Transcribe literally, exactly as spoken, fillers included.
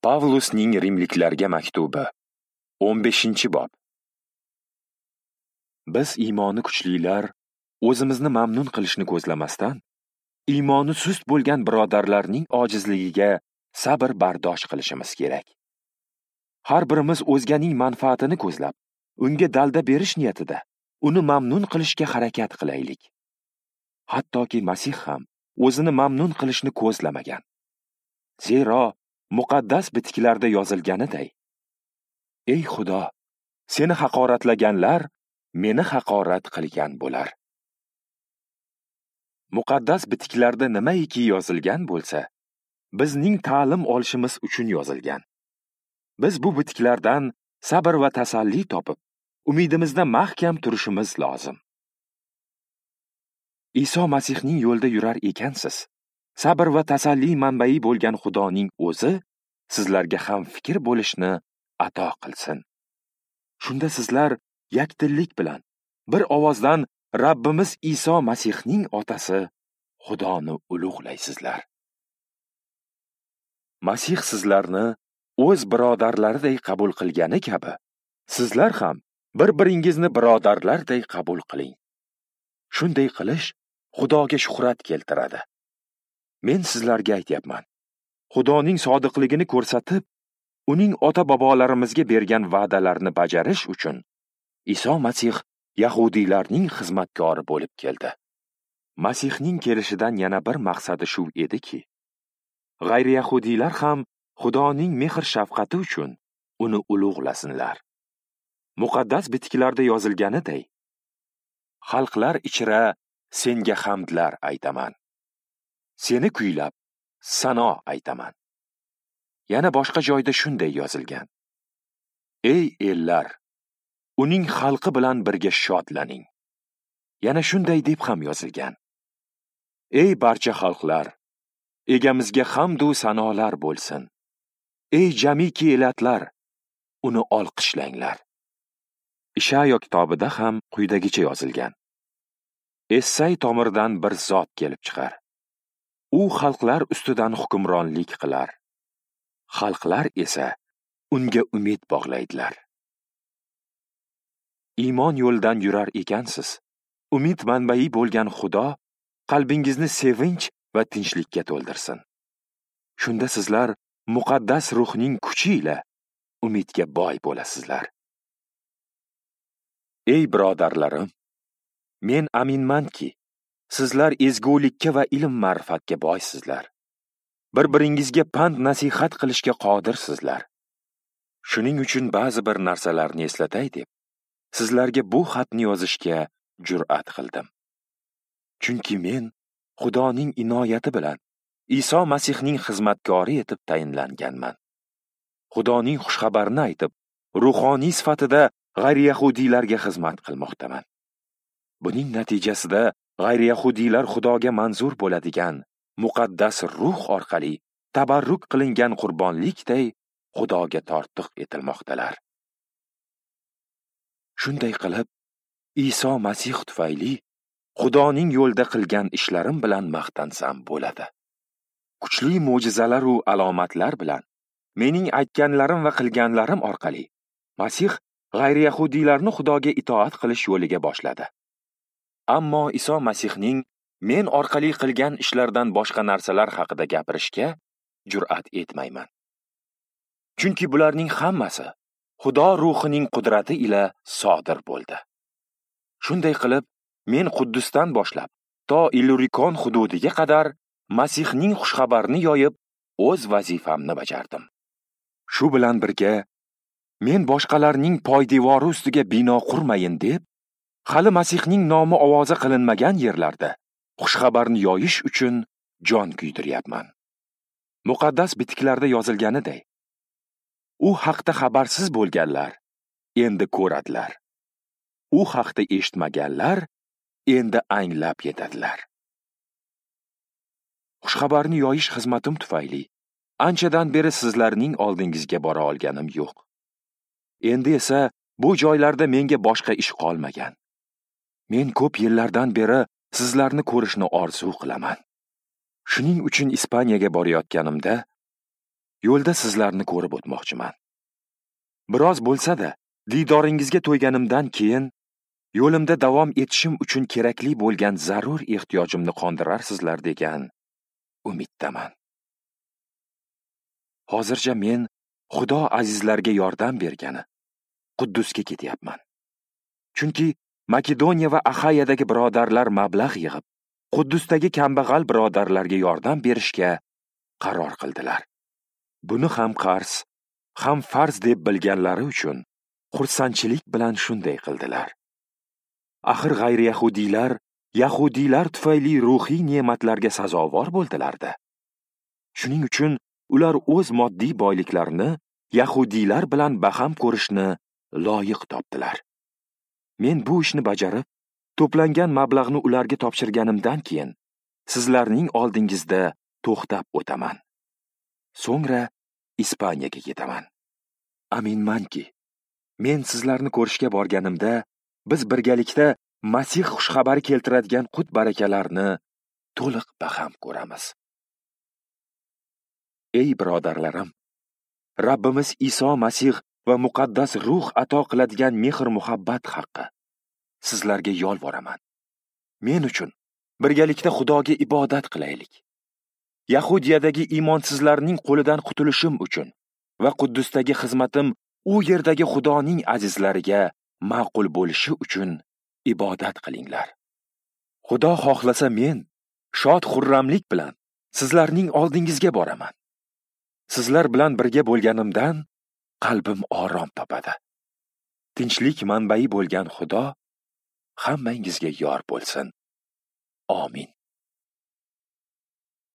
Pavlusning Rimliklarga maktubi, o'n beshinchi bob. Biz iymoni kuchlilar o'zimizni mamnun qilishni ko'zlamasdan, iymoni sust bo'lgan birodarlarning ojizligiga sabr bardosh qilishimiz kerak. Har birimiz o'zganing manfaatini ko'zlab, unga dalda berish niyatida uni mamnun qilishga harakat qilaylik. Hattoki Masih ham o'zini mamnun qilishni ko'zlamagan. Zero muqaddas bitiklarda yozilganiday: Ey Xudo, seni haqoratlaganlar meni haqorat qilgan bo'lar. Muqaddas bitiklarda nimaiki yozilgan bo'lsa, bizning ta'lim olishimiz uchun yozilgan. Biz bu bitiklardan sabr va tasalli topib, umidimizda mahkam turishimiz lozim. Iso Masihning yo'lida yurar ekansiz, sabr va tasalli manbai bo'lgan Xudoning o'zi sizlarga ham fikr bo'lishni ato qilsin. Shunda sizlar yakdillik bilan bir ovozdan Rabbimiz Iso Masihning otasi Xudoni ulug'laysizlar. Masih sizlarni o'z birodarlariday qabul qilgani kabi, sizlar ham bir-biringizni birodarlarday qabul qiling. Shunday qilish Xudoga shuhrat keltiradi. Men sizlarga aytyapman, Xudoning sodiqligini ko'rsatib, uning ota-bobolarimizga bergan va'dalarini bajarish uchun Iso Masih yahudiylarning xizmatkori bo'lib keldi. Masihning kelishidan yana bir maqsadi shu ediki, g'ayri-yahudiylar ham Xudoning mehr-shafqati uchun uni ulug'lasinlar. Muqaddas bitiklarda yozilganiday: Xalqlar ichra senga hamdlar aytaman. Seni kuylab sano aytaman. Yana boshqa joyda shunday yozilgan: Ey ellar, uning xalqi bilan birga shodlaning. Yana shunday deb ham yozilgan: Ey barcha xalqlar, egamizga hamd u sanolar bo'lsin. Ey jamiki elatlar, uni olqishlanglar. Ishayo kitobida ham quyidagicha yozilgan: Essay tomiridan bir zot kelib chiqar. U xalqlar ustidan hukmronlik qilar. Xalqlar esa unga umid bog'laydilar. Iymon yo'lidan yurar ekansiz, umid manbai bo'lgan Xudo qalbingizni sevinch va tinchlikka to'ldirsin. Shunda sizlar muqaddas ruhning kuchi ila umidga boy bo'lasizlar. Ey birodarlarim, men aminmanki, sizlar ezgulikka va ilm ma'rifatga boysizlar. Bir-biringizga pand nasihat qilishga qodirsizlar. Shuning uchun ba'zi bir narsalarni eslatay deb sizlarga bu xatni yozishga jur'at qildim. Chunki men Xudoning inoyati bilan Iso Masihning xizmatkori etib tayinlanganman. Xudoning xushxabarini aytib, ruhoniy sifatida g'ayri-yahudiylarga xizmat qilmoqdaman. Buning natijasida g'ayri-yahudiylar Xudoga manzur bo'ladigan muqaddas ruh orqali tabarruk qilingan qurbonlikday Xudoga tortiq etilmoqdalar. Shunday qilib, Iso Masih tufayli Xudoning yo'lda qilgan ishlarim bilan maqtansam bo'ladi. Kuchli mo'jizalar va alomatlar bilan mening aytganlarim va qilganlarim orqali Masih g'ayri-yahudiylarni Xudoga itoat qilish yo'liga boshladi. Ammo Iso Masihning men orqali qilgan ishlardan boshqa narsalar haqida gapirishga jur'at etmayman. Chunki bularning hammasi Xudo ruhining qudrati ila sodir bo'ldi. Shunday qilib, men Quddusdan boshlab to Illurikon hududiga qadar Masihning xushxabarini yoyib, o'z vazifamni bajardim. Shu bilan birga, men boshqalarning poydevori ustiga bino qurmayin deb, hali Masihning nomi ovoza qilinmagan yerlarda xushxabarni yoyish uchun jon kuydiryapman. Muqaddas bitiklarda yozilganiday, u haqda xabarsiz bo'lganlar endi ko'radilar. U haqda eshitmaganlar endi anglab yetadilar. Xushxabarni yoyish xizmatim tufayli anchadan beri sizlarning oldingizga bora olganim yo'q. Endi esa bu joylarda menga boshqa ish qolmagan. Men ko'p yillardan beri sizlarni ko'rishni orzu qilaman. Shuning uchun Ispaniyaga borayotganimda Yo'lda sizlarni ko'rib o'tmoqchiman. Biroz bo'lsa-da, diydoringizga to'yganimdan keyin yo'limda davom etishim uchun kerakli bo'lgan zarur ehtiyojimni qondirarsizlar degan umiddaman. Hozircha men Xudo azizlarga yordam bergani Quddusga ketyapman. Chunki Makedoniya va Axayadagi birodarlar mablag' yig'ib, Quddusdagi kambag'al birodarlarga yordam berishga qaror qildilar. Buni ham qarz, ham farz deb bilganlari uchun xursandchilik bilan shunday qildilar. Axir g'ayri-yahudiylar yahudiylar tufayli ruhiy ne'matlarga sazovor bo'ldilar-da. Shuning uchun ular o'z moddiy boyliklarini yahudiylar bilan baham ko'rishni loyiq topdilar. Men bu ishni bajarib, to'plangan mablag'ni ularga topshirganimdan keyin sizlarning oldingizda to'xtab o'taman. So'ngra Ispaniyaga ketaman. Aminmanki, men sizlarni ko'rishga borganimda biz birgalikda Masih xushxabari keltiradigan qut-barakalarni to'liq baham ko'ramiz. Ey birodarlarim, Rabbimiz Iso Masih va muqaddas ruh ato qiladigan mehr-muhabbat haqqi sizlarga yolvoraman. Men uchun birgalikda Xudoga ibodat qilaylik. Yahudiyadagi iymonsizlarning qo'lidan qutulishim uchun va Quddusdagi xizmatim u yerdagi Xudoning azizlariga ma'qul bo'lishi uchun ibodat qilinglar. Xudo xohlasa men shod xurramlik bilan sizlarning oldingizga boraman. Sizlar bilan birga bo'lganimdan qalbim orom topadi. Tinchlik manbai bo'lgan Xudo hammangizga yor bo'lsin. Amin.